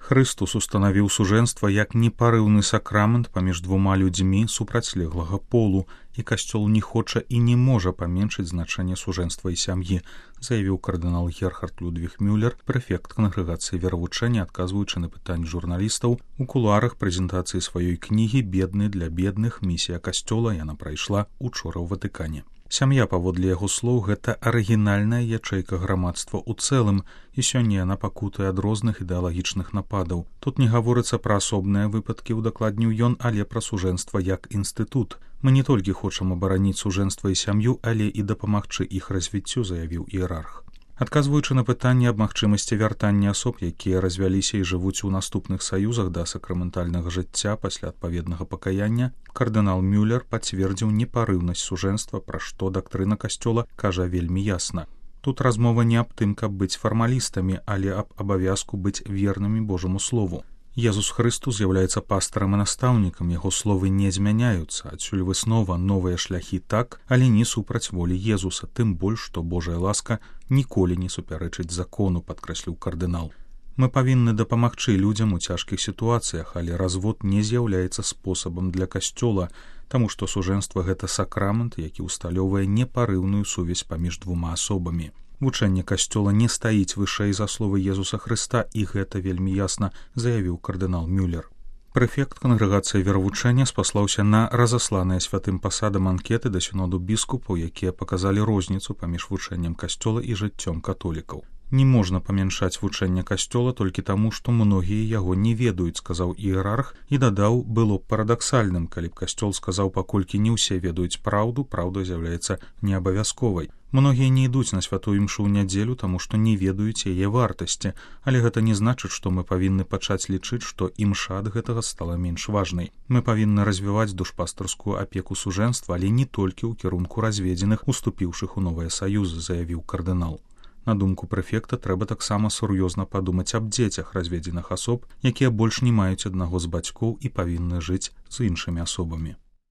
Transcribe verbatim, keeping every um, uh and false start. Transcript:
Хрыстус устанавіў сужэнства як непарыўны сакрамент паміж двума людзьмі супрацьлеглага полу, і касцёл не хоча і не можа паменшыць значэнне сужэнства і сям'і, заявіў кардынал Герхард Людвіг Мюллер, прэфект кангрэгацыі веравучэння, адказваючы на пытанні журналістаў у кулуарах прэзентацыі сваёй кнігі «Бедны для бедных. Місія касцёла». Яна прайшла учора ў Ватыкане. Сям'я, паводле яго слоў, гэта арыгінальная ячэйка грамадства ў цэлым, і сёння яна пакутае ад розных ідэалагічных нападаў. Тут не гаворыцца пра асобныя выпадкі, удакладніў ён, але пра сужэнства як інстытут. Мы не толькі хочам абараніць сужэнства і сям'ю, але і дапамагчы іх развіццю, заявіў іерарх. Адказваючы на пытанне аб магчымасці вяртання асоб, якія развяліся і жывуць у наступных саюзах да сакраментальнага жыцця пасля адпаведнага пакаяння, кардынал Мюллер пацвердзіў непарыўнасць сужэнства, пра што дактрына касцёла кажа вельмі ясна. Тут размова не аб тым, каб быць фармалістамі, але аб абавязку быць вернымі Божаму слову. Езус Хрыстус з'яўляецца пастарам і настаўнікам, яго словы не змяняюцца, адсюль выснова новыя шляхі так, але не супраць волі Езуса, тым больш, што Божая ласка ніколі не супярэчыць закону, падкрэсліў кардынал. Мы павінны дапамагчы людзям у цяжкіх сітуацыях, але развод не з'яўляецца спосабам для касцёла, таму што сужэнства гэта сакрамент, які ўсталёўвае непарыўную сувязь паміж двума асобамі. Вучэнне касцёла не стаіць вышэй за словы Езуса Хрыста, і гэта вельмі ясна заявіў кардынал Мюллер. Прэфект кангрэгацыі веравучэння спаслаўся на разасланыя святым пасадам анкеты да сіноду біскупаў, якія паказалі розніцу паміж вучэннем касцёла і жыццём католікаў. Не можна памяншаць вучэнне касцёла толькі таму, што многія яго не ведаюць, сказаў іерарх, і дадаў, было б парадаксальным, калі б касцёл сказаў, паколькі не ўсе ведаюць праўду, праўда з'яўляецца неабавязковай. Многія не ідуць на святую імшу ў нядзелю, таму што не ведаюць яе вартасці, але гэта не значыць, што мы павінны пачаць лічыць, што імша ад гэтага стала менш важнай. Мы павінны развіваць душпастарскую апеку сужэнства, але не толькі ў кірунку разведзеных, уступіўшых у новыя саюзы, заявіў кардынал. На думку прэфекта, трэба таксама сур'ёзна падумаць аб дзецях разведзеных асоб, якія больш не маюць аднаго з бацькоў і павінны жыць з іншымі асобамі.